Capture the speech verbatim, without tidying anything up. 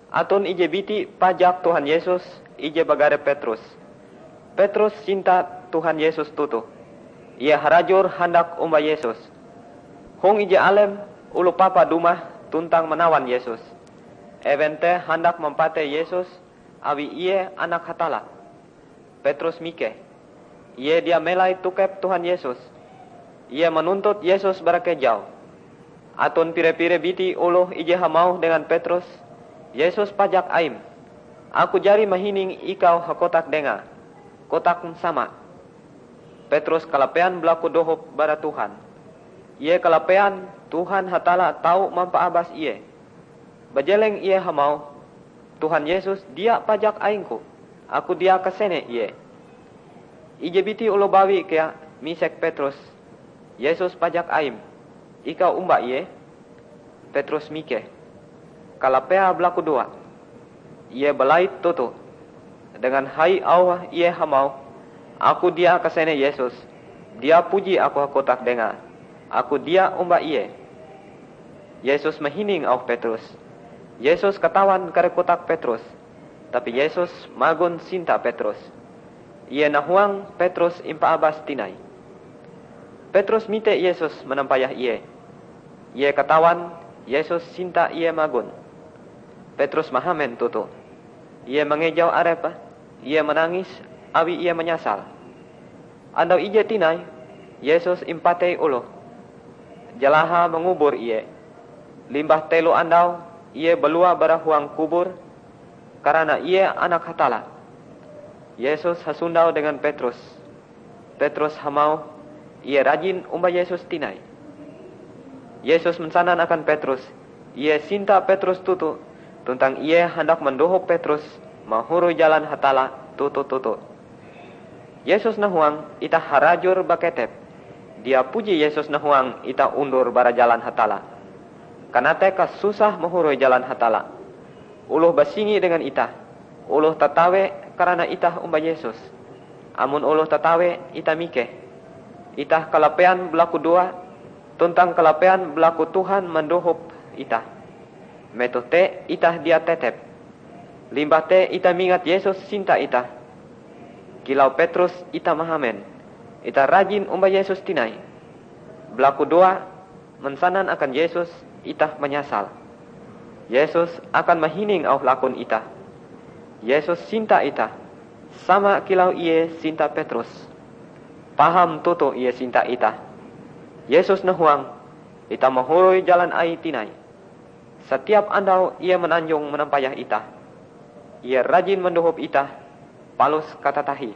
Aton ije biti pajak Tuhan Yesus, ije bagare Petrus. Petrus sinta Tuhan Yesus toto. Ie harajur handak omba Yesus. Hong ije alem, oloh papa dumah tuntang manawan Yesus. Ewen te handak mampatei Yesus awi Ie Anak Hatalla. Petrus mikeh. Ie dia melai tokep Tuhan Yesus. Ie manuntut Yesus bara kejau. Aton pire-pire biti oloh ije hamauh dengan Petrus, "Yesus pajak Aim. Aku jari mahining ikau hakotak dengae. Kotakm sama." Petrus kalapean balaku dohop bara Tuhan. Ie kalapean Tuhan Hatalla tau mampaabas ie. Bajeleng ie hamauh, "Tuhan Yesus dia pajak aingku. Aku dia kasene Ie." Ije biti oloh bawi kea misek Petrus, "Yesus pajak Aim. Ikau omba Ie?" Petrus mikeh. Kalapeae balakudoa. Ie balait toto. Dengan hai auhe ie hamauh, "Aku dia kasene Yesus. Dia puji aku hakotak dengae. Aku dia omba Ie." Yesus mahining auh Petrus. Yesus katawan kare kotak Petrus, tapi Yesus magon sinta Petrus. Ie nahuang Petrus impaabas tinai. Petrus mite Yesus manampayah ie. Ie katawan Yesus sinta ie magon. Petrus mahamen toto. Ie mangejau arepe, ie manangis awi ie manyasal. Andau ije tinai, Yesus impatei oloh. Jalahae mangubur Ie. Limbah telo andau, Ie balua bara huang kubur, karana Ie Anak Hatalla. Yesus hasondau dengan Petrus. Petrus hamauh, "Ie rajin omba Yesus tinai." Yesus mansanan akan Petrus, Ie sinta Petrus toto, tuntang Ie handak mandohop Petrus mahoroi jalan Hatalla toto-toto. Yesus nahuang itah harajur baketep. Dia puji Yesus nahuang itah undur bara jalan Hatalla. Kanateh kasusah mahoroi jalan Hatalla. Oloh basingi dengan itah. Oloh tatawe karana itah omba Yesus. Amon oloh tatawe, itah mikeh. Itah kalapean balakudoa, tuntang kalapean balaku Tuhan mandohop itah. Metoh te itah dia tetep. Limbah te itah mingat Yesus sinta itah. Kilau Petrus itah mahamen, itah rajin omba Yesus tinai. Balakudoa, mansanan akan Yesus, itah manyasal. Yesus akan mahining auh lakon itah. Yesus sinta itah, sama kilau Ie sinta Petrus. Paham toto Ie sinta itah. Yesus nahuang, itah mahoroi jalan Aie tinai. Satiap andau Ie mananjong manampayah itah. Ie rajin mandohop itah, palus katatahie.